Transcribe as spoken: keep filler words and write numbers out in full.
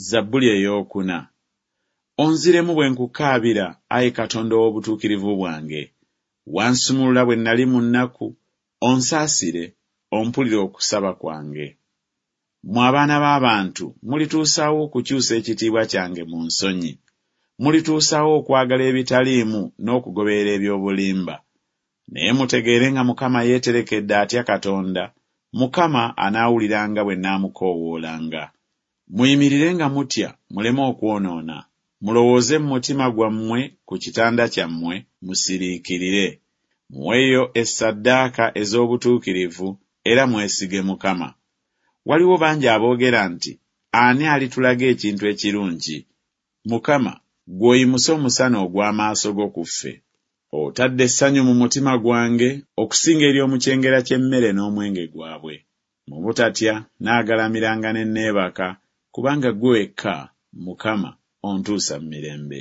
Zabbuli eyookuna. Onziremu bwe nkukaabira, ayi Katonda ow'obutuukirivu bwange. Wansumulula bwe nnali mu nnaku, onsaasire, ompulire okusaba kwange. Mmwe abaana b'abantu mulituusa wa okukyusa ekitiibwa kyange mu nsonyi? Mulituusa wa okwagala ebitaliimu n'okugoberera eby'obulimba? Naye mutegeere nga Mukama yeeterekedde atya Katonda, Mukama anaawuliranga bwe nnaamukoowoolanga. Muyimirire nga mutya, muleme okwonoona. Mulowooze mu mutima gwammwe ku kitanda kyammwe, musiriikirire. Muweeyo essaddaaka ez'obutuukirivu era mwesige Mukama. Waliwo bangi aboogera nti, Ani alitulaga ekintu ekirungi? Mukama, ggwe oyimuse omusana ogw'amaaso go ku ffe. Otadde essanyu mu mutima gwange okusinga ery'omu kyengera ky'emmere n'omwenge gwabwe. Mu butatya nnaagalamiranga ne neebaka, kubanga ggwe wekka, Mukama, ontuusa mu mirembe.